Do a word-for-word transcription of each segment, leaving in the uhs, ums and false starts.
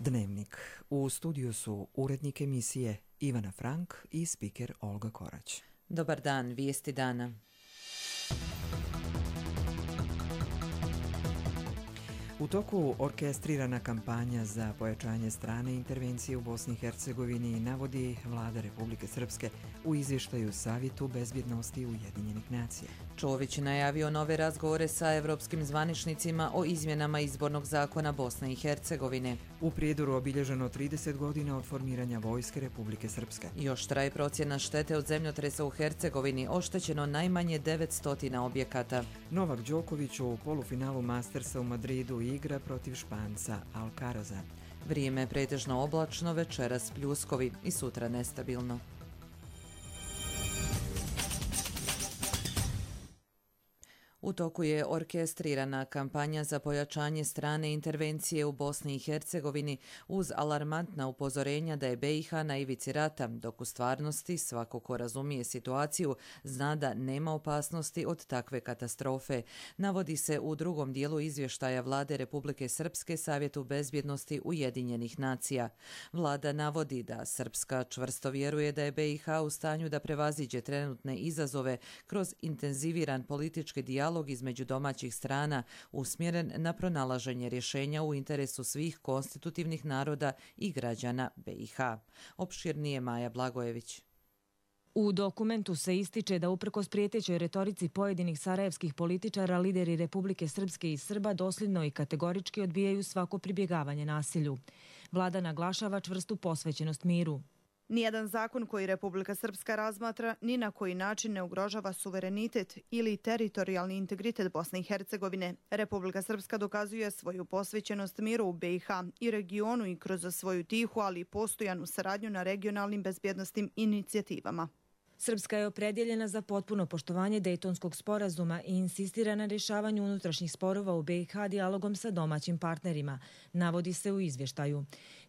Dnevnik. U studiju su urednik emisije Ivana Frank i spiker Olga Korać. Dobar dan, vijesti dana. U toku orkestrirana kampanja za pojačanje strane intervencije u Bosni i Hercegovini navodi Vlada Republike Srpske u izvještaju Savjetu bezbjednosti Ujedinjenih nacija. Čović najavio nove razgovore sa evropskim zvaničnicima o izmjenama izbornog zakona Bosne i Hercegovine. U Prijedoru obilježeno trideset godina od formiranja Vojske Republike Srpske. Još traje procjena štete od zemljotresa u Hercegovini, oštećeno najmanje devetsto objekata. Novak Đoković u polufinalu Mastersa u Madridu igra protiv Španca Alcaraza. Vrijeme je pretežno oblačno, večeras pljuskovi i sutra nestabilno. U toku je orkestrirana kampanja za pojačanje strane intervencije u Bosni i Hercegovini uz alarmantna upozorenja da je B i H na ivici rata, dok u stvarnosti svako ko razumije situaciju zna da nema opasnosti od takve katastrofe, navodi se u drugom dijelu izvještaja Vlade Republike Srpske Savjetu bezbjednosti Ujedinjenih nacija. Vlada navodi da Srpska čvrsto vjeruje da je B i H u stanju da prevaziđe trenutne izazove kroz intenziviran politički dijalog između domaćih strana usmjeren na pronalaženje rješenja u interesu svih konstitutivnih naroda i građana B i H. Opširnije Maja Blagojević. U dokumentu se ističe da uprkos prijetećoj retorici pojedinih sarajevskih političara, lideri Republike Srpske i Srba dosljedno i kategorički odbijaju svako pribjegavanje nasilju. Vlada naglašava čvrstu posvećenost miru. Nijedan zakon koji Republika Srpska razmatra ni na koji način ne ugrožava suverenitet ili teritorijalni integritet Bosne i Hercegovine. Republika Srpska dokazuje svoju posvećenost miru u B i H i regionu i kroz svoju tihu, ali i postojanu saradnju na regionalnim bezbjednosnim inicijativama. Srpska je opredjeljena za potpuno poštovanje Dejtonskog sporazuma i insistira na rješavanju unutrašnjih sporova u B i H dijalogom sa domaćim partnerima, navodi se u izvještaju.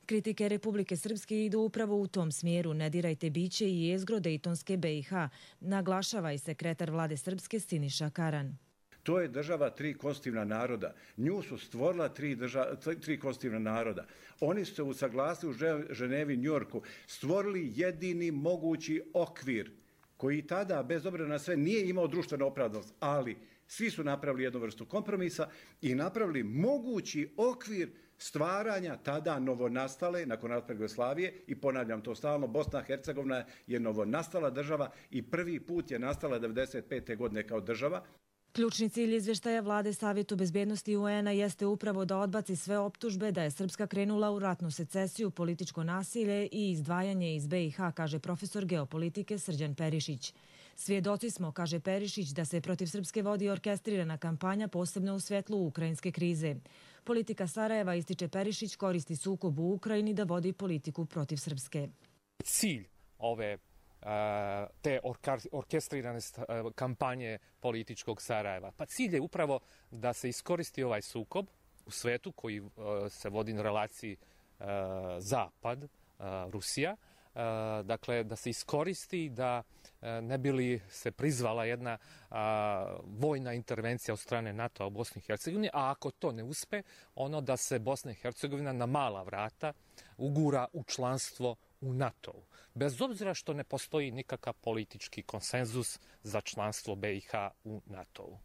Kritike Republike Srpske idu upravo u tom smjeru, ne dirajte biće i jezgro Dejtonske B i H, naglašava i sekretar Vlade Srpske Siniša Karan. To je država tri konstitutivna naroda. Nju su stvorila tri, država, tri konstitutivna naroda. Oni su se usaglasili u Ženevi, Njujorku, stvorili jedini mogući okvir koji tada, bez obzira na sve, nije imao društvenu opravdanost, ali svi su napravili jednu vrstu kompromisa i napravili mogući okvir stvaranja tada novonastale, nakon raspada Jugoslavije, i ponavljam to stalno, Bosna i Hercegovina je novonastala država i prvi put je nastala devedeset pete godine kao država. Ključni cilj izvještaja Vlade Savjetu bezbjednosti U N-a jeste upravo da odbaci sve optužbe da je Srpska krenula u ratnu secesiju, političko nasilje i izdvajanje iz B i H, kaže profesor geopolitike Srđan Perišić. Svjedoci smo, kaže Perišić, da se protiv Srpske vodi orkestrirana kampanja, posebno u svjetlu ukrajinske krize. Politika Sarajeva, ističe Perišić, koristi sukob u Ukrajini da vodi politiku protiv Srpske. Cilj ove te orkestrirane kampanje političkog Sarajeva. Pa cilj je upravo da se iskoristi ovaj sukob u svetu koji se vodi na relaciji Zapad, Rusija, dakle da se iskoristi da ne bi li se prizvala jedna vojna intervencija od strane NATO-a u Bosni i Hercegovini, a ako to ne uspe, ono da se Bosna i Hercegovina na mala vrata ugura u članstvo u NATO-u. Bez obzira što ne postoji nikakav politički konsenzus za članstvo B i H u NATO-u.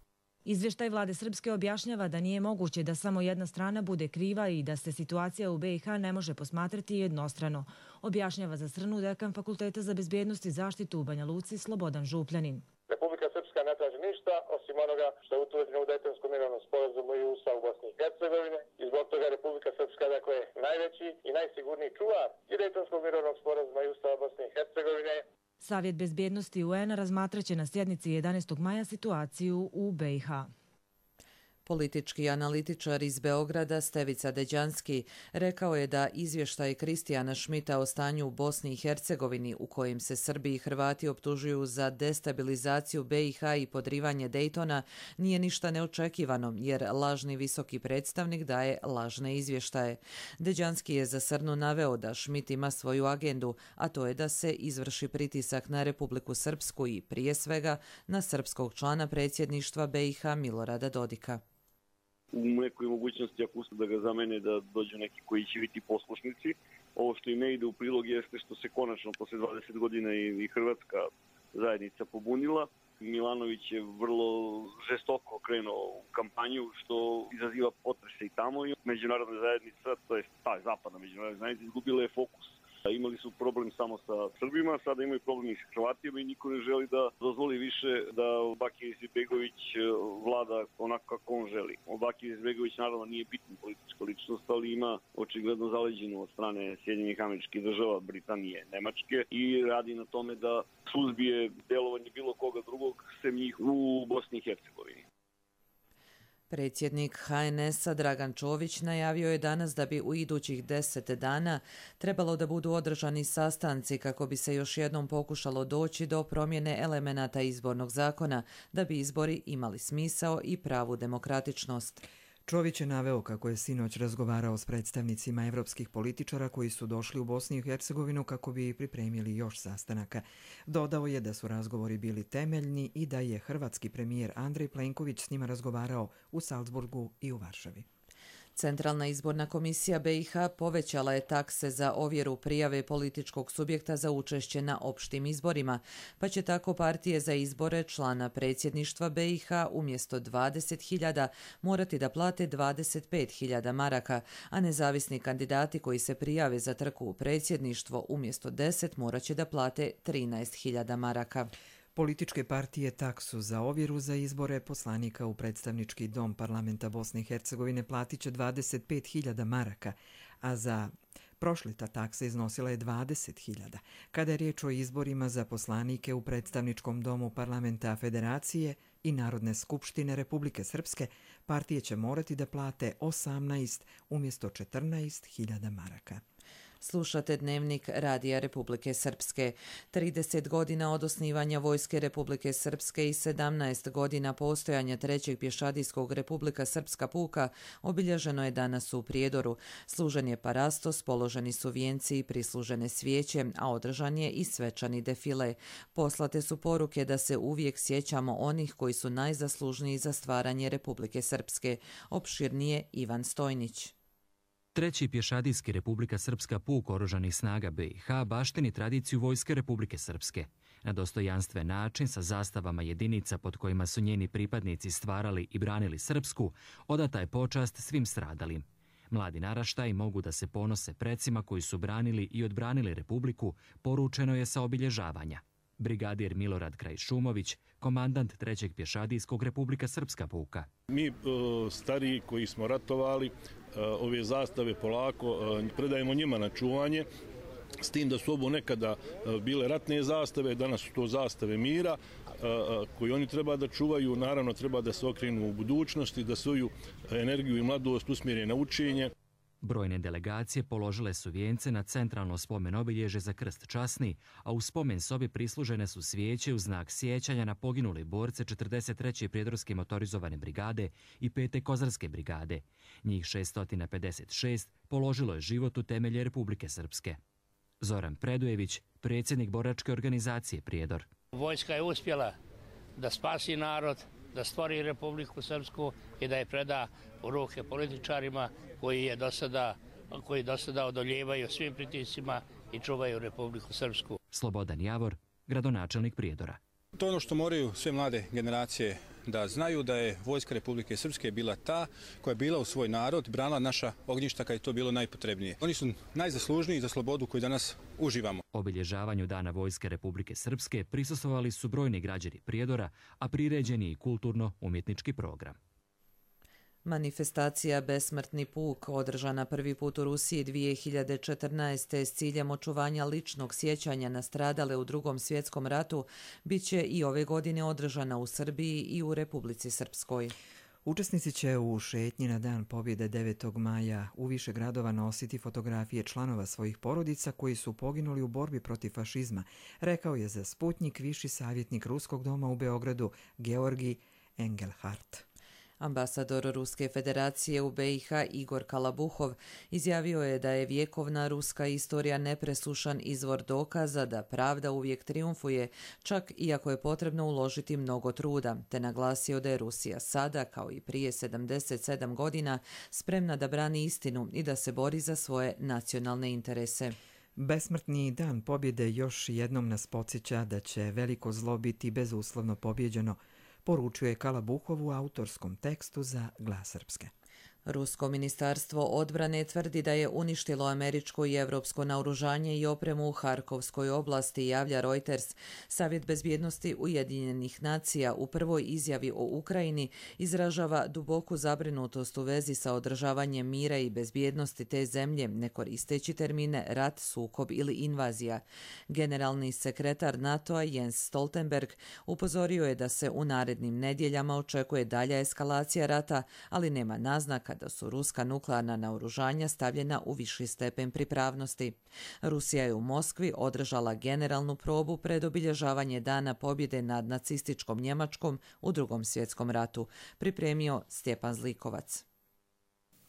Izvještaj Vlade Srpske objašnjava da nije moguće da samo jedna strana bude kriva i da se situacija u B i H ne može posmatrati jednostrano, objašnjava za Srnu dekan Fakulteta za bezbjednost i zaštitu u Banja Luci Slobodan Župljanin. Republika Srpska ne traži ništa osim onoga što je utvrđeno u Dejtonskom mirovnom sporazumu i Ustavu Bosne i Hercegovine i zbog toga Republika Srpska dakle najveći i najsigurniji čuvar i Dejtonskog mirovnog sporazuma i Ustava Bosne i Hercegovine. Savjet bezbjednosti U N-a razmatraće na sjednici jedanaestog maja situaciju u B i H. Politički analitičar iz Beograda Stevica Deđanski rekao je da izvještaj Kristijana Šmita o stanju u Bosni i Hercegovini, u kojem se Srbi i Hrvati optužuju za destabilizaciju B i H i podrivanje Dejtona, nije ništa neočekivano, jer lažni visoki predstavnik daje lažne izvještaje. Deđanski je za Srnu naveo da Šmit ima svoju agendu, a to je da se izvrši pritisak na Republiku Srpsku i prije svega na srpskog člana predsjedništva B i H Milorada Dodika. u nekoj mogućnosti ako uspiju da ga zamene da dođu neki koji će biti poslušnici. Ovo što im ne ide u prilog jeste što se konačno posle dvadeset godina i Hrvatska zajednica pobunila. Milanović je vrlo žestoko krenuo u kampanju što izaziva potrese i tamo i međunarodna zajednica, to je ta zapadna međunarodna zajednica, izgubila je fokus. Imali su problem samo sa Srbima, sada imaju problem i sa Hrvatima i niko ne želi da dozvoli više da Bakir Izetbegović vlada onako kako on želi. Bakir Izetbegović naravno nije bitna politička ličnost, ali ima očigledno zaleđenu od strane Sjedinjenih Američkih Država, Britanije, Nemačke i radi na tome da suzbije delovanje bilo koga drugog sem njih u Bosni i Hercegovini. Predsjednik H N S-a Dragan Čović najavio je danas da bi u idućih deset dana trebalo da budu održani sastanci kako bi se još jednom pokušalo doći do promjene elemenata izbornog zakona da bi izbori imali smisao i pravu demokratičnost. Čović je naveo kako je sinoć razgovarao s predstavnicima evropskih političara koji su došli u Bosnu i Hercegovinu kako bi pripremili još sastanaka. Dodao je da su razgovori bili temeljni i da je hrvatski premijer Andrej Plenković s njima razgovarao u Salzburgu i u Varšavi. Centralna izborna komisija B i H povećala je takse za ovjeru prijave političkog subjekta za učešće na opštim izborima, pa će tako partije za izbore člana predsjedništva B i H umjesto dvadeset hiljada morati da plate dvadeset pet hiljada maraka, a nezavisni kandidati koji se prijave za trku u predsjedništvo umjesto deset morat će da plate trinaest hiljada maraka. Političke partije taksu za ovjeru za izbore poslanika u predstavnički dom parlamenta Bosne i Hercegovine platit će dvadeset pet hiljada maraka, a za prošle ta taksa iznosila je dvadeset hiljada. Kada je riječ o izborima za poslanike u predstavničkom domu parlamenta Federacije i Narodne skupštine Republike Srpske, partije će morati da plate osamnaest umjesto četrnaest hiljada maraka. Slušate Dnevnik Radija Republike Srpske. trideset godina od osnivanja Vojske Republike Srpske i sedamnaest godina postojanja trećeg pješadijskog Republika Srpska puka obilježeno je danas u Prijedoru. Služen je parastos, položeni su vijenci i prislužene svijeće, a održan je i svečani defile. Poslate su poruke da se uvijek sjećamo onih koji su najzaslužniji za stvaranje Republike Srpske. Opširnije Ivan Stojnić. Treći pješadijski Republika Srpska puk oružanih snaga B i H baštini tradiciju Vojske Republike Srpske. Na dostojanstven način, sa zastavama jedinica pod kojima su njeni pripadnici stvarali i branili Srpsku, odata je počast svim stradalim. Mladi naraštaji mogu da se ponose precima koji su branili i odbranili Republiku, poručeno je sa obilježavanja. Brigadir Milorad Krajšumović, komandant trećeg pješadijskog Republika Srpska puka. Mi stariji koji smo ratovali, ove zastave polako predajemo njima na čuvanje, s tim da su ovo nekada bile ratne zastave, danas su to zastave mira koji oni treba da čuvaju, naravno treba da se okrenu u budućnosti, da svoju energiju i mladost usmjere na učenje. Brojne delegacije položile su vijence na centralno spomen obilježje za krst časni, a u spomen sobi prislužene su svijeće u znak sjećanja na poginule borce četrdeset treće prijedorske motorizovane brigade i pete kozarske brigade. Njih šesto pedeset šest položilo je život u temelje Republike Srpske. Zoran Predujević, predsjednik boračke organizacije Prijedor. Vojska je uspjela da spasi narod, da stvori Republiku Srpsku i da je preda u ruke političarima koji je do sada, koji do sada odoljevaju svim pritiscima i čuvaju Republiku Srpsku. Slobodan Javor, gradonačelnik Prijedora. To je ono što moraju sve mlade generacije da znaju, da je Vojska Republike Srpske bila ta koja je bila u svoj narod, branila naša ognjišta kad je to bilo najpotrebnije. Oni su najzaslužniji za slobodu koju danas uživamo. Obilježavanju Dana Vojske Republike Srpske prisustvovali su brojni građani Prijedora, a priređen je i kulturno-umjetnički program. Manifestacija Besmrtni puk, održana prvi put u Rusiji dvije hiljade četrnaeste. s ciljem očuvanja ličnog sjećanja na stradale u Drugom svjetskom ratu, bit će i ove godine održana u Srbiji i u Republici Srpskoj. Učesnici će u šetnji na Dan pobjede devetog maja u više gradova nositi fotografije članova svojih porodica koji su poginuli u borbi protiv fašizma, rekao je za Sputnjik viši savjetnik Ruskog doma u Beogradu Georgi Engelhardt. Ambasador Ruske federacije u be i ha Igor Kalabuhov izjavio je da je vjekovna ruska istorija nepresušan izvor dokaza da pravda uvijek triumfuje, čak iako je potrebno uložiti mnogo truda, te naglasio da je Rusija sada, kao i prije sedamdeset sedam godina, spremna da brani istinu i da se bori za svoje nacionalne interese. Besmrtni dan pobjede još jednom nas podsjeća da će veliko zlo biti bezuslovno pobjeđeno, poručuje Kalabuhov u autorskom tekstu za Glas Srpske. Rusko ministarstvo odbrane tvrdi da je uništilo američko i evropsko naoružanje i opremu u Harkovskoj oblasti, javlja Reuters. Savjet bezbjednosti Ujedinjenih nacija u prvoj izjavi o Ukrajini izražava duboku zabrinutost u vezi sa održavanjem mira i bezbjednosti te zemlje, ne koristeći termine rat, sukob ili invazija. Generalni sekretar NATO-a Jens Stoltenberg upozorio je da se u narednim nedjeljama očekuje dalja eskalacija rata, ali nema naznaka da su ruska nuklearna naoružanja stavljena u viši stepen pripravnosti. Rusija je u Moskvi održala generalnu probu pred obilježavanje Dana pobjede nad nacističkom Njemačkom u Drugom svjetskom ratu, pripremio Stjepan Zlikovac.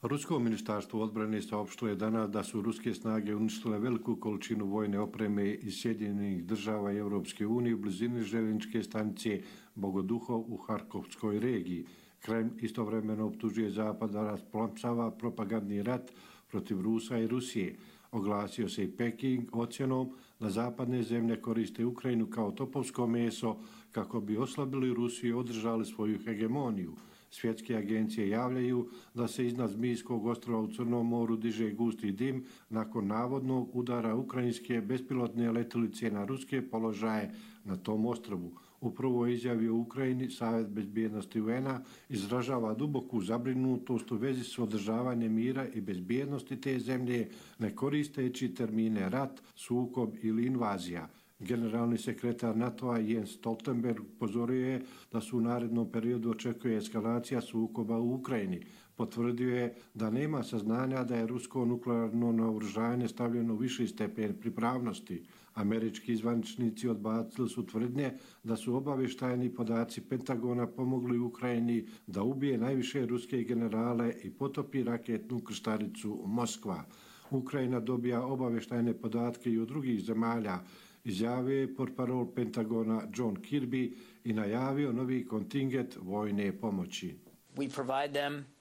Rusko ministarstvo odbrane saopštilo je danas da su ruske snage uništile veliku količinu vojne opreme iz Sjedinjenih država i Europske unije u blizini željezničke stanice Bogoduhov u Harkovskoj regiji. Kreml istovremeno optužuje Zapad da rasplamsava propagandni rat protiv Rusa i Rusije. Oglasio se i Peking ocjenom da zapadne zemlje koriste Ukrajinu kao topovsko meso kako bi oslabili Rusiju i održali svoju hegemoniju. Svjetske agencije javljaju da se iznad Zmijskog ostrva u Crnom moru diže gusti dim nakon navodnog udara ukrajinske bespilotne letjelice na ruske položaje na tom ostrvu. U prvoj izjavi o Ukrajini Savjet bezbjednosti u en a izražava duboku zabrinutost u vezi s održavanjem mira i bezbjednosti te zemlje, ne koristeći termine rat, sukob ili invazija. Generalni sekretar NATO-a Jens Stoltenberg upozorio je da su u narednom periodu očekuje eskalacija sukoba u Ukrajini. Potvrdio je da nema saznanja da je rusko nuklearno naoružanje stavljeno u viši stepen pripravnosti. Američki zvaničnici odbacili su tvrdnje da su obavještajni podaci Pentagona pomogli Ukrajini da ubije najviše ruske generale i potopi raketnu krstaricu Moskva. Ukrajina dobija obavještajne podatke i od drugih zemalja, izjavio je portparol Pentagona John Kirby i najavio novi kontingent vojne pomoći.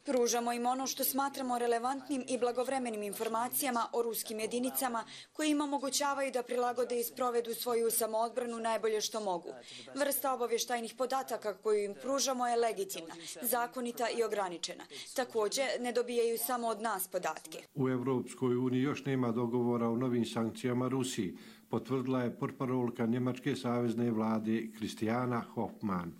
Pružamo im ono što smatramo relevantnim i blagovremenim informacijama o ruskim jedinicama koje im omogućavaju da prilagode i sprovedu svoju samoodbranu najbolje što mogu. Vrsta obavještajnih podataka koju im pružamo je legitimna, zakonita i ograničena. Također, ne dobijaju samo od nas podatke. U Evropskoj uniji još nema dogovora o novim sankcijama Rusiji, potvrdila je portparolka Njemačke savezne vlade Christiana Hoffmann.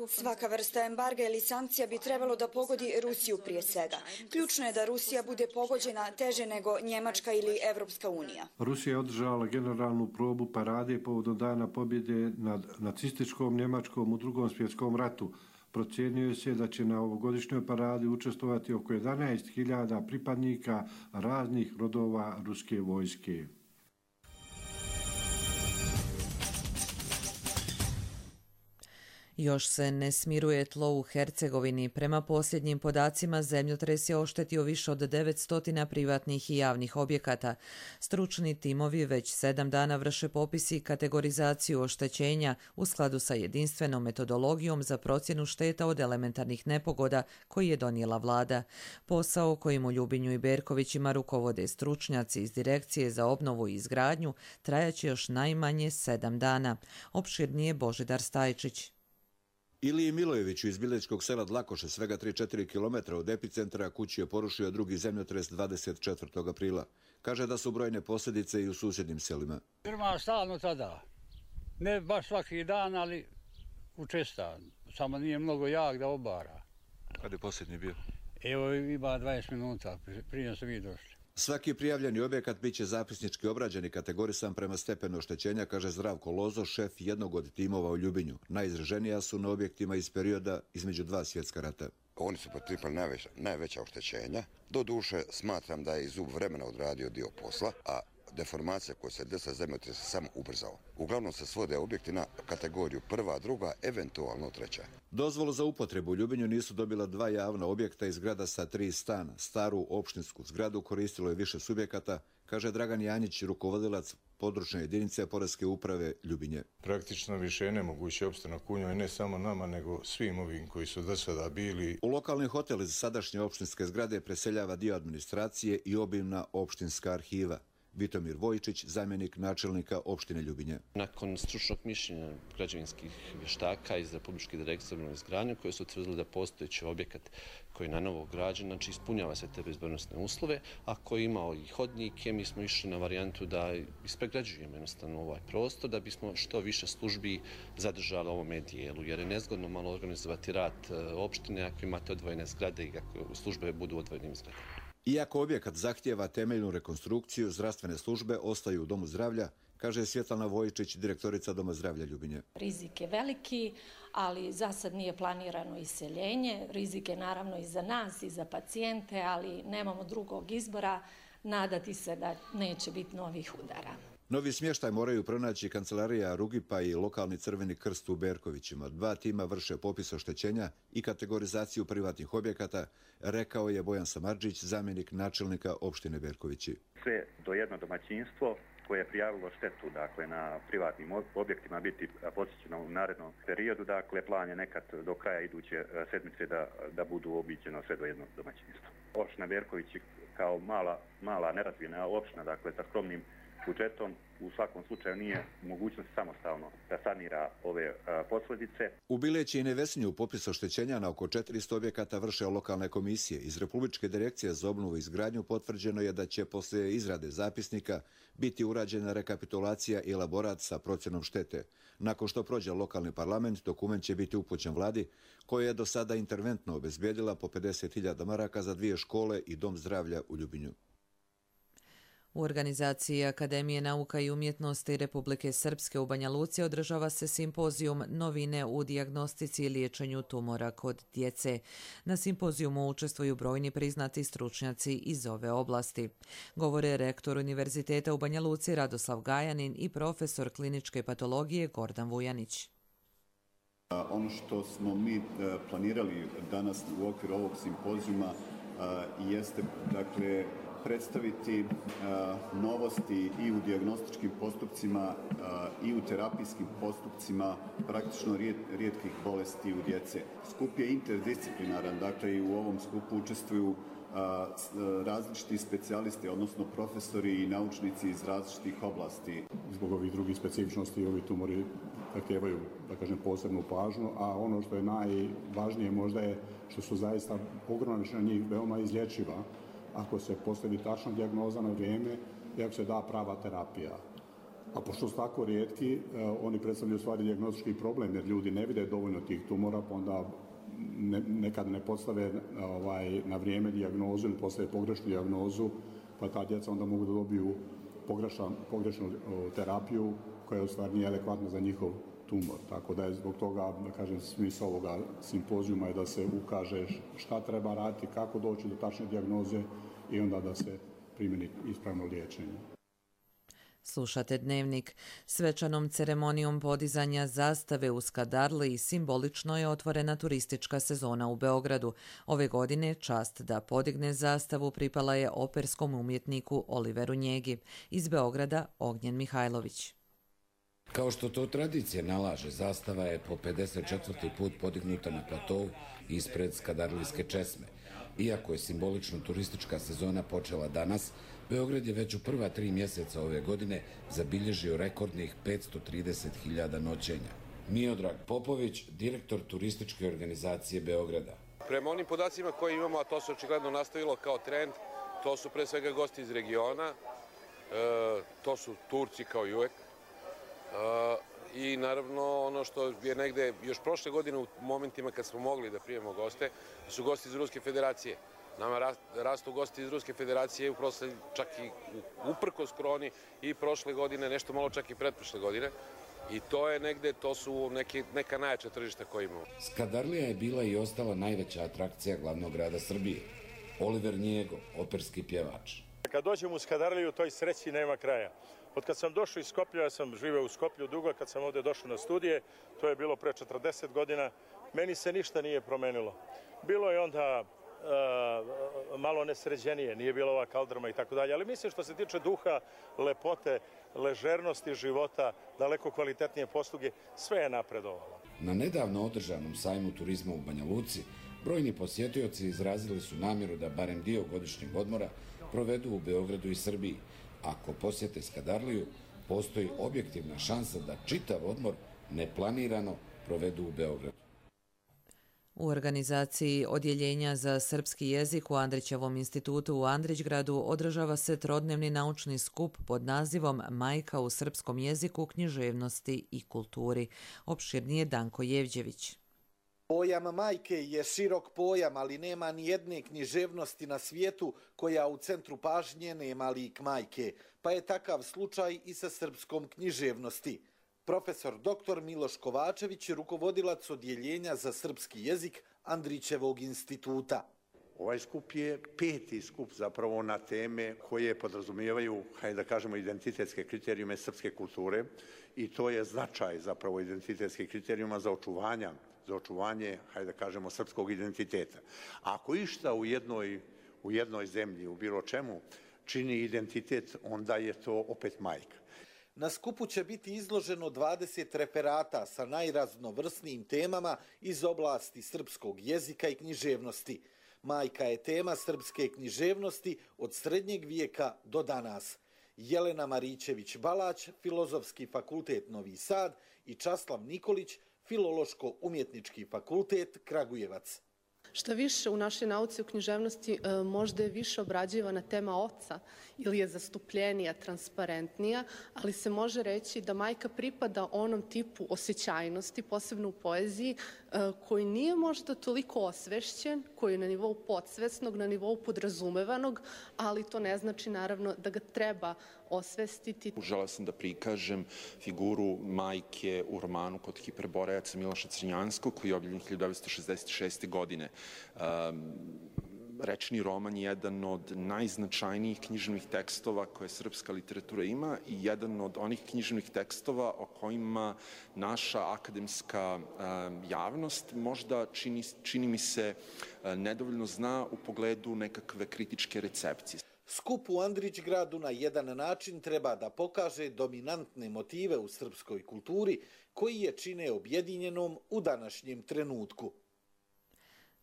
Svaka vrsta embarga ili sankcija bi trebalo da pogodi Rusiju prije svega. Ključno je da Rusija bude pogođena teže nego Njemačka ili Evropska unija. Rusija je održala generalnu probu parade povodom dana pobjede nad nacističkom Njemačkom u Drugom svjetskom ratu. Procjenjuje se da će na ovogodišnjoj paradi učestvovati oko jedanaest hiljada pripadnika raznih rodova ruske vojske. Još se ne smiruje tlo u Hercegovini. Prema posljednjim podacima, zemljotres je oštetio više od devetsto privatnih i javnih objekata. Stručni timovi već sedam dana vrše popis i kategorizaciju oštećenja u skladu sa jedinstvenom metodologijom za procjenu šteta od elementarnih nepogoda koji je donijela vlada. Posao kojim u Ljubinju i Berkovićima rukovode stručnjaci iz Direkcije za obnovu i izgradnju trajaće još najmanje sedam dana. Opširnije Božidar Stajčić. Iliji Milojeviću iz Bilećkog sela Dlakoše, svega tri do četiri kilometra od epicentra, kući je porušio drugi zemljotres dvadeset četvrtog aprila. Kaže da su brojne posljedice i u susjednim selima. Firma stalno tada. Ne baš svaki dan, ali učesta. Samo nije mnogo jak da obara. Kada je posljednji bio? Evo ima dvadeset minuta, prije su vi došli. Svaki prijavljeni objekat bit će zapisnički obrađen i kategorisan prema stepenu oštećenja, kaže Zdravko Lozo, šef jednog od timova u Ljubinju. Najizraženija su na objektima iz perioda između dva svjetska rata. Oni su potrpali najveća, najveća oštećenja. Do duše smatram da je i zub vremena odradio dio posla, a deformacija koja se desila zemljotres samo ubrzao. Uglavnom se svode objekti na kategoriju prva, druga, eventualno treća. Dozvolu za upotrebu u Ljubinju nisu dobila dva javna objekta i zgrada sa tri stana. Staru opštinsku zgradu koristilo je više subjekata, kaže Dragan Janjić, rukovodilac područne jedinice Poreske uprave Ljubinje. Praktično više je nemoguće opstanak u njoj, ne samo nama, nego svim ovim koji su do sada bili. U lokalni hotel iz sadašnje opštinske zgrade preseljava dio administracije i obimna opštinska arhiva. Vitomir Vojčić, zamjenik načelnika opštine Ljubinje. Nakon stručnog mišljenja građevinskih vještaka iz Republičke direkcije za obnovu i izgradnju, koji su utvrdili da postojeći objekat koji je na novo građen, znači ispunjava se te bezbednosne uslove, a koji je imao i hodnike, mi smo išli na varijantu da ispregrađujemo jednostavno ovaj prostor, da bismo što više službi zadržali u ovome dijelu, jer je nezgodno malo organizovati rad opštine ako imate odvojene zgrade i ako službe budu u odvojenim zgradama. Iako objekat zahtijeva temeljnu rekonstrukciju, zdravstvene službe ostaju u Domu zdravlja, kaže Svjetlana Vojčić, direktorica Doma zdravlja Ljubinje. Rizik je veliki, ali za sad nije planirano iseljenje. Rizik je naravno i za nas i za pacijente, ali nemamo drugog izbora, nadati se da neće biti novih udara. Novi smještaj moraju pronaći kancelarija Rugipa i lokalni Crveni krst u Berkovićima. Dva tima vrše popis oštećenja i kategorizaciju privatnih objekata, rekao je Bojan Samardžić, zamjenik načelnika opštine Berkovići. Sve do jedno domaćinstvo koje je prijavilo štetu, dakle, na privatnim objektima biti posjećeno u narednom periodu, dakle, plan je nekad do kraja iduće sedmice da, da budu obiđeno sve do jednog domaćinstva. Opština Berkovići kao mala, mala nerazvijena opština, dakle, sa skromnim budžetom, u svakom slučaju nije mogućnost samostalno da sanira ove a, posljedice. U Bileći i Nevesinju popis oštećenja na oko četiristo objekata vrše lokalne komisije. Iz Republičke direkcije za obnovu i izgradnju potvrđeno je da će poslije izrade zapisnika biti urađena rekapitulacija i elaborat sa procjenom štete. Nakon što prođe lokalni parlament, dokument će biti upućen vladi, koja je do sada interventno obezbijedila po pedeset hiljada maraka za dvije škole i Dom zdravlja u Ljubinju. U organizaciji Akademije nauka i umjetnosti Republike Srpske u Banja Luci održava se simpozijum Novine u dijagnostici i liječenju tumora kod djece. Na simpozijumu učestvuju brojni priznati stručnjaci iz ove oblasti. Govore rektor Univerziteta u Banja Luci Radoslav Gajanin i profesor kliničke patologije Gordan Vujanić. Ono što smo mi planirali danas u okviru ovog simpozijuma jeste, dakle, predstaviti uh, novosti i u dijagnostičkim postupcima uh, i u terapijskim postupcima praktično rijet, rijetkih bolesti u djece. Skup je interdisciplinaran, dakle i u ovom skupu učestvuju uh, različiti specijalisti, odnosno profesori i naučnici iz različitih oblasti. Zbog ovih drugih specifičnosti ovi tumori zahtijevaju, da kažem, posebnu pažnju, a ono što je najvažnije možda je što su zaista ogromna većina njih veoma izlječiva ako se postavi tačna dijagnoza na vrijeme i ako se da prava terapija. A pošto su tako rijetki, eh, oni predstavljaju stvari dijagnostički problem, jer ljudi ne vide dovoljno tih tumora, pa onda ne, nekad ne postave ovaj, na vrijeme dijagnozu ili postave pogrešnu dijagnozu, pa ta djeca onda mogu da dobiju pogrešan, pogrešnu o, terapiju koja u stvari nije adekvatna za njihov tumor. Tako da je zbog toga, da kažem, smisao ovoga simpozijuma je da se ukaže šta treba raditi, kako doći do tačne dijagnoze i onda da se primjeni ispravno liječenje. Slušate Dnevnik. Svečanom ceremonijom podizanja zastave u Skadarli simbolično je otvorena turistička sezona u Beogradu. Ove godine čast da podigne zastavu pripala je operskom umjetniku Oliveru Njegi. Iz Beograda Ognjen Mihajlović. Kao što to tradicija nalaže, zastava je po pedeset četvrti put podignuta na platovu ispred Skadarlijske česme. Iako je simbolično turistička sezona počela danas, Beograd je već u prva tri mjeseca ove godine zabilježio rekordnih petsto trideset hiljada noćenja. Miodrag Popović, direktor turističke organizacije Beograda. Prema onim podacima koje imamo, a to se očigledno nastavilo kao trend, to su pre svega gosti iz regiona, e, to su Turci kao i uvek. E, I naravno ono što je negde još prošle godine u momentima kad smo mogli da primemo goste, su gosti iz Ruske federacije. Nama rastu gosti iz Ruske federacije uprosle čak i uprkos koroni i prošle godine, nešto malo čak i pretprošle godine. I to je negde, to su neki, neka najjača tržišta koje imamo. Skadarlija je bila i ostala najveća atrakcija glavnog grada Srbije. Oliver Njego, operski pjevač. Kad dođem u Skadarliju, toj sreći nema kraja. Od kad sam došao iz Skoplja, ja sam živeo u Skoplju dugo, kad sam ovdje došao na studije, to je bilo pre četrdeset godina, meni se ništa nije promenilo. Bilo je onda uh, malo nesređenije, nije bila ova kaldrma i tako dalje, ali mislim što se tiče duha, lepote, ležernosti života, daleko kvalitetnije posluge, sve je napredovalo. Na nedavno održanom sajmu turizma u Banja Luci, brojni posjetioci izrazili su namjeru da barem dio godišnjeg odmora provedu u Beogradu i Srbiji. Ako posjete Skadarliju, postoji objektivna šansa da čitav odmor neplanirano provedu u Beogradu. U organizaciji Odjeljenja za srpski jezik u Andrićevom institutu u Andrićgradu održava se trodnevni naučni skup pod nazivom Majka u srpskom jeziku, književnosti i kulturi. Opširnije Danko Jevđević. Pojam majke je širok pojam, ali nema ni jedne književnosti na svijetu koja u centru pažnje nema lik majke, pa je takav slučaj i sa srpskom književnosti. Profesor doktor Miloš Kovačević je rukovodilac Odjeljenja za srpski jezik Andrićevog instituta. Ovaj skup je peti skup zapravo na teme koje podrazumijevaju, hajde da kažemo, identitetske kriterijume srpske kulture i to je značaj zapravo identitetskih kriterijuma za očuvanja za očuvanje, hajde da kažemo, srpskog identiteta. Ako išta u jednoj, u jednoj zemlji, u bilo čemu, čini identitet, onda je to opet majka. Na skupu će biti izloženo dvadeset referata sa najraznovrsnijim temama iz oblasti srpskog jezika i književnosti. Majka je tema srpske književnosti od srednjeg vijeka do danas. Jelena Marićević-Balać, Filozofski fakultet Novi Sad i Časlav Nikolić, Filološko-umjetnički fakultet Kragujevac. Šta više, u našoj nauci o književnosti možda je više obrađivana tema oca ili je zastupljenija, transparentnija, ali se može reći da majka pripada onom tipu osjećajnosti, posebno u poeziji, koji nije možda toliko osvešćen, koji je na nivou podsvesnog, na nivou podrazumevanog, ali to ne znači naravno da ga treba osvestiti. Želeo sam da prikažem figuru majke u romanu Kod Hiperborejaca Miloša Crnjanskog, koji je objavljen hiljadu devetsto šezdeset šeste. godine. Um, Rečni roman je jedan od najznačajnijih književnih tekstova koje srpska literatura ima i jedan od onih književnih tekstova o kojima naša akademska um, javnost možda čini, čini mi se uh, nedovoljno zna u pogledu nekakve kritičke recepcije. Skup u Andrićgradu na jedan način treba da pokaže dominantne motive u srpskoj kulturi koji je čine objedinjenom u današnjem trenutku.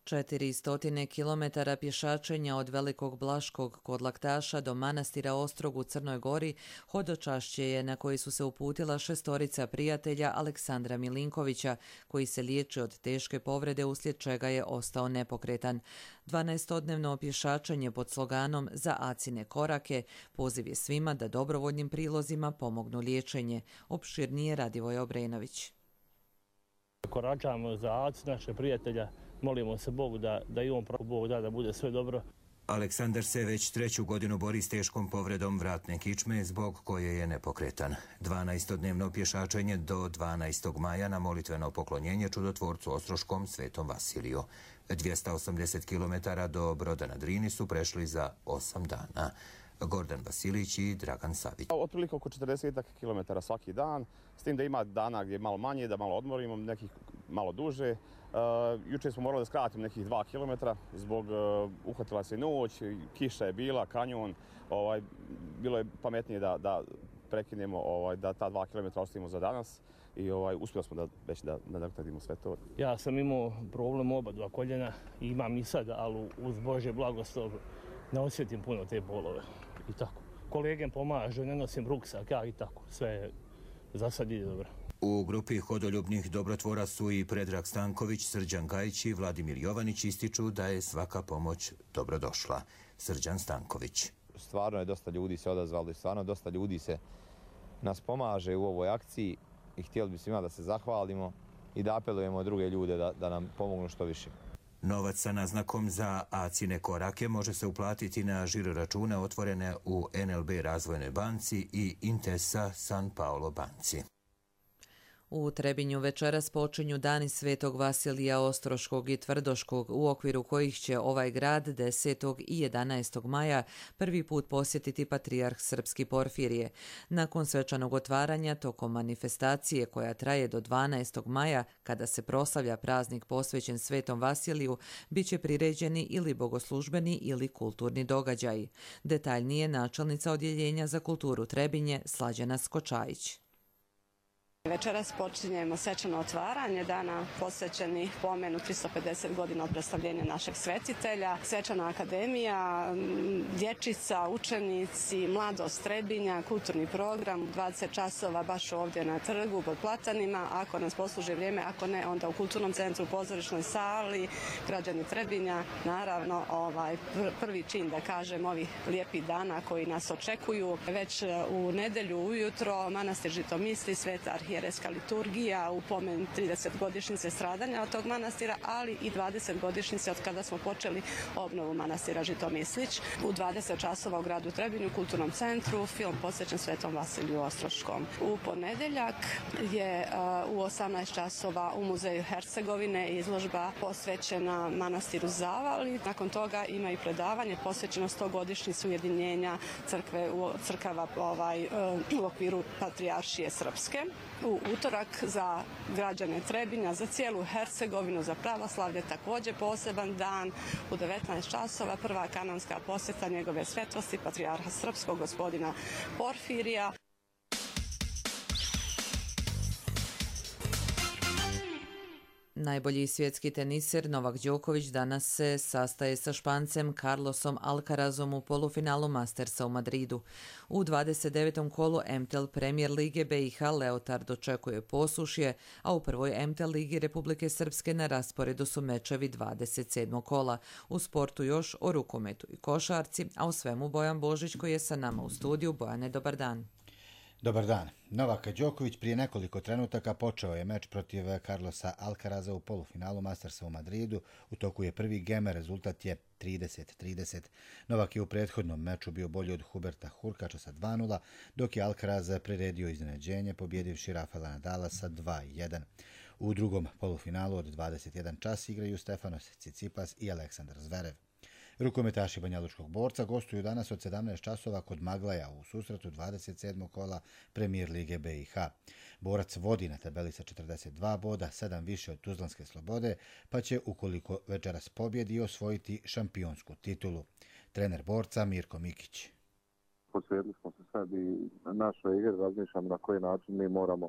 četiristo kilometara pješačenja od Velikog Blaškog kod Laktaša do manastira Ostrog u Crnoj Gori hodočašće je na koji su se uputila šestorica prijatelja Aleksandra Milinkovića, koji se liječi od teške povrede uslijed čega je ostao nepokretan. dvanaestodnevno pješačenje pod sloganom Za Acine korake poziv je svima da dobrovoljnim prilozima pomognu liječenje. Opširnije Radivoj Obrenović. Koračamo za Aci, naše prijatelja. Molimo se Bogu da, da i on Bog da da bude sve dobro. Aleksandar se već treću godinu bori s teškom povredom vratne kičme zbog koje je nepokretan. dvanaestodnevno pješačenje do dvanaestog maja na molitveno poklonjenje čudotvorcu Ostroškom Svetom Vasiliju. dvjesto osamdeset kilometara do Broda na Drini su prešli za osam dana. Gordan Vasilić i Dragan Savić. Otprilike oko četrdeset kilometara svaki dan, s tim da ima dana gdje je malo manje, da malo odmorimo, nekih malo duže. Uh, jučer smo morali da skratimo nekih dva kilometra zbog uh, uhvatila se noć, kiša je bila, kanjon. Ovaj, bilo je pametnije da, da prekinemo, ovaj, da ta dva kilometra ostavimo za danas i ovaj, uspjeli smo da već da nadoknadimo sve to. Ja sam imao problem oba dva koljena i imam i sad, ali uz Božje blagoslov ne osjetim puno te bolove i tako. Kolege pomažu, ne nosim ruksak, ja i tako. Sve za sad ide dobro. U grupi hodoljubnih dobrotvora su i Predrag Stanković, Srđan Gajić i Vladimir Jovanić ističu da je svaka pomoć dobrodošla. Srđan Stanković. Stvarno je dosta ljudi se odazvalo i stvarno dosta ljudi se nas pomaže u ovoj akciji i htjeli bi svima da se zahvalimo i da apelujemo druge ljude da, da nam pomognu što više. Novac sa naznakom za Acine korake može se uplatiti na žiro račune otvorene u en el be Razvojnoj banci i Intesa San Paolo banci. U Trebinju večeras počinju dani Svetog Vasilija Ostroškog i Tvrdoškog, u okviru kojih će ovaj grad desetog i jedanaestog maja prvi put posjetiti patrijarh srpski Porfirije. Nakon svečanog otvaranja, tokom manifestacije koja traje do dvanaestog maja, kada se proslavlja praznik posvećen Svetom Vasiliju, bit će priređeni ili bogoslužbeni ili kulturni događaji. Detaljnije načelnica Odjeljenja za kulturu Trebinje, Slađana Skočajić. Večeras počinjemo svečano otvaranje dana posvećenih pomenu tristo pedeset godina od predstavljenja našeg svetitelja. Svečana akademija, dječica, učenici, mladost Trebinja, kulturni program, dvadeset časova baš ovdje na trgu pod platanima. Ako nas posluži vrijeme, ako ne, onda u kulturnom centru, u pozorišnoj sali, građani Trebinja. Naravno, ovaj prvi čin, da kažem, ovih lijepih dana koji nas očekuju. Već u nedelju ujutro manastir Žitomisli, Sveta arhijerejska liturgija u pomen tridesetogodišnjice stradanja od tog manastira, ali i dvadesetogodišnjice od kada smo počeli obnovu manastira Žitomislić. U dvadeset časova u gradu Trebinju, u kulturnom centru, film posvećen Svetom Vasiliju Ostroškom. U ponedjeljak je u osamnaest časova u Muzeju Hercegovine izložba posvećena manastiru Zavali. Nakon toga ima i predavanje posvećeno stogodišnjici ujedinjenja crkve u crkava ovaj, u okviru Patrijaršije Srpske. U utorak za građane Trebinja, za cijelu Hercegovinu, za pravoslavlje također poseban dan. U devetnaest časova prva kanonska posjeta njegove svetlosti, patrijarha srpskog gospodina Porfirija. Najbolji svjetski teniser Novak Đoković danas se sastaje sa Špancem Carlosom Alcarazom u polufinalu Mastersa u Madridu. U dvadeset devetom kolu M T L Premier lige B i H Leotard očekuje posušje, a u prvoj M T L ligi Republike Srpske na rasporedu su mečevi dvadeset sedmog kola. U sportu još o rukometu i košarci, a u svemu Bojan Božić koji je sa nama u studiju. Bojane, dobar dan. Dobar dan. Novak Đoković prije nekoliko trenutaka počeo je meč protiv Carlosa Alcaraza u polufinalu Mastersa u Madridu. U toku je prvi gem, rezultat je trideset trideset. Novak je u prethodnom meču bio bolji od Huberta Hurkača sa dva nula, dok je Alcaraz priredio iznenađenje pobjedivši Rafaela Nadala sa dva jedan. U drugom polufinalu od dvadeset jedan čas igraju Stefanos Tsitsipas i Aleksandar Zverev. Rukometaši Banjalučkog borca gostuju danas od sedamnaest časova kod Maglaja u susretu dvadeset sedmog kola Premier lige B i H. Borac vodi na tabeli sa četrdeset dva boda, sedam više od Tuzlanske Slobode, pa će, ukoliko večeras pobjedi, osvojiti šampionsku titulu. Trener borca Mirko Mikić. Posvetili smo se sad i našoj igri, razmišljamo na koji način mi moramo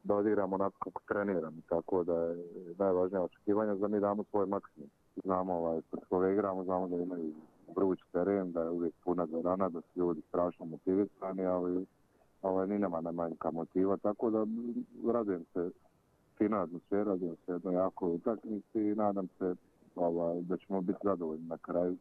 da odigramo onako kako treniramo, tako da je najvažnije očekivanje da mi damo svoj maksimum. Znamo ovaj, koje igramo, znamo da imaju vruć teren, da je uvijek puna dvorana, da su ljudi strašno motivisani, ali ovaj, ni nema najmanjka motiva, tako da radujem se fina atmosfera, radujem se jednoj jakoj utakmici i nadam se ovaj, da ćemo biti zadovoljni na kraju.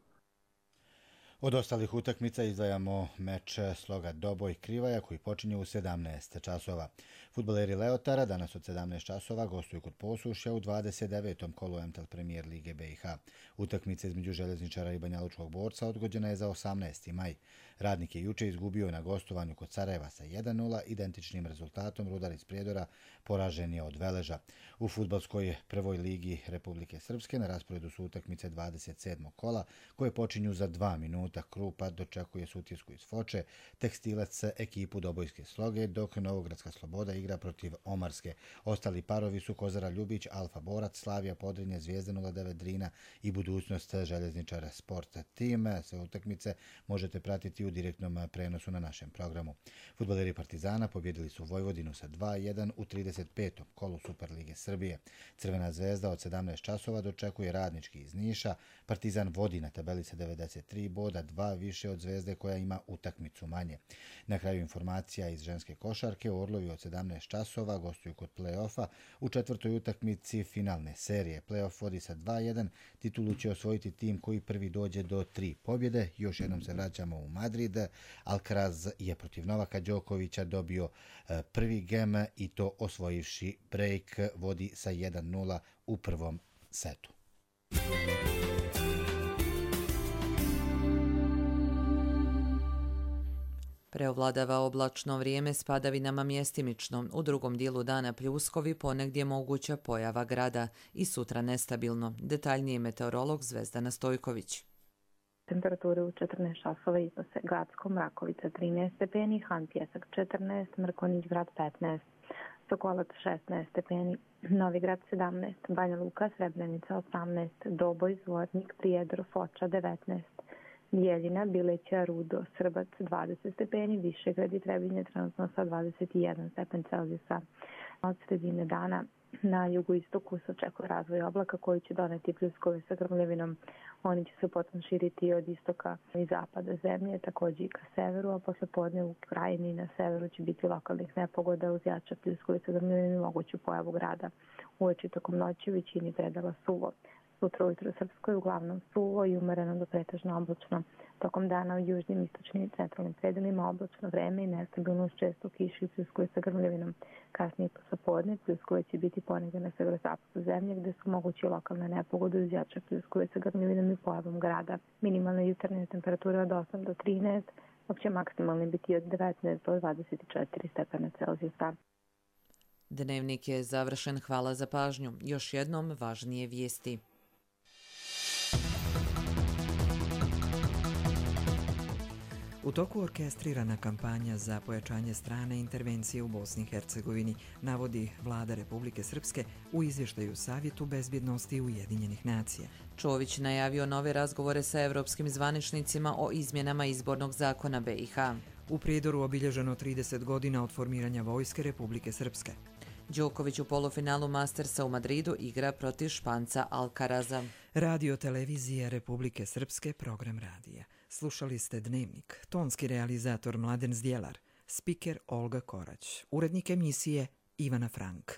Od ostalih utakmica izdvajamo meč sloga Doboj Krivaja koji počinje u sedamnaest časova. Fudbaleri Leotara danas od sedamnaest časova gostuju kod Posušja u dvadeset devetom kolu M T L Premier lige B i H. Utakmica između Željezničara i Banjalučkog borca odgođena je za osamnaesti maj. Radnik je juče izgubio na gostovanju kod Sarajeva sa jedan nula, identičnim rezultatom Rudar iz Prijedora poražen je od Veleža. U fudbalskoj prvoj ligi Republike Srpske na rasporedu su utakmice dvadeset sedmog kola koje počinju za dva minuta. Krupa dočekuje Sutjesku iz Foče, Tekstilac ekipu Dobojske Sloge, dok Novogradska Sloboda igra protiv Omarske. Ostali parovi su Kozara Ljubić, Alfa Borac, Slavija Podrinje, Zvijezda nula devet Drina i Budućnost Željezničara Sport Tim. Sve utakmice možete pratiti u direktnom prenosu na našem programu. Fudbaleri Partizana pobjedili su Vojvodinu sa dva jedan u trideset petom kolu Superlige Srbije. Crvena zvezda od sedamnaest časova dočekuje Radnički iz Niša. Partizan vodi na tabeli sa devedeset tri boda, dva više od Zvezde koja ima utakmicu manje. Na kraju informacija iz ženske košarke, Orlovi od sedamnaest časova gostuju kod play-offa u četvrtoj utakmici finalne serije. Play-off vodi sa dva jedan, titulu će osvojiti tim koji prvi dođe do tri pobjede. Još jednom se vraćamo u Madrid. Alcaraz je protiv Novaka Đokovića dobio prvi gem i to osvojivši break, vodi sa jedan nula u prvom setu. Preovladava oblačno vrijeme s padavinama mjestimično, u drugom dijelu dana pljuskovi, ponegdje moguća pojava grada i sutra nestabilno. Detaljniji meteorolog Zvezdana Stojković. Temperature u četrnaest časova iznose Gacko, Mrakovica trinaest stepeni, Han Pjesak četrnaest, Mrkonjić Grad petnaest, Sokolac šesnaest stepeni, Novi Grad sedamnaest, Banja Luka, Srebrenica osamnaest, Doboj, Zvornik, Prijedor, Foča devetnaest, Bijeljina, Bileća, Rudo, Srbac dvadeset stepeni, Višegrad i Trebinje trenutno sa dvadeset jedan stepen Celzijusa. Od sredine dana na jugoistoku se očekuje razvoj oblaka koji će doneti pljuskove sa grmljavinom. Oni će se potom širiti od istoka i zapada zemlje, također i ka severu, a posle podne u krajini na severu će biti lokalnih nepogoda uz jače pljuskove sa grmljavinom i moguću pojavu grada. Uveče tokom noći u većini predela suvo. Sutra ujutro u Srpskoj uglavnom suvo i umereno do pretežno oblačno. Tokom dana u južnim, istočnim i centralnim predelima oblačno vreme i nestabilnost, često kiši i pljuskove sa grmljavinom. Kasnije poslepodne pljuskove će biti ponegdje na severozapadu zemlje gdje su mogući lokalne nepogode uz jače pljuskove sa grmljavinom i pojavom grada. Minimalne jutarnje temperature od osam do trinaest, dok će maksimalni biti od devetnaest do dvadeset četiri stepena Celzijusa. Dnevnik je završen. Hvala za pažnju. Još jednom važnije vijesti. U toku orkestrirana kampanja za pojačanje strane intervencije u Bosni i Hercegovini, navodi Vlada Republike Srpske u izvještaju Savjetu bezbjednosti Ujedinjenih nacija. Čović najavio nove razgovore sa evropskim zvaničnicima o izmjenama izbornog zakona B i H. U Prijedoru obilježeno trideset godina od formiranja Vojske Republike Srpske. Đoković u polufinalu Mastersa u Madridu igra protiv Španca Alcaraza. Radio Televizije Republike Srpske, program radija. Slušali ste Dnevnik, tonski realizator Mladen Zdjelar, spiker Olga Korać, urednik emisije Ivana Frank.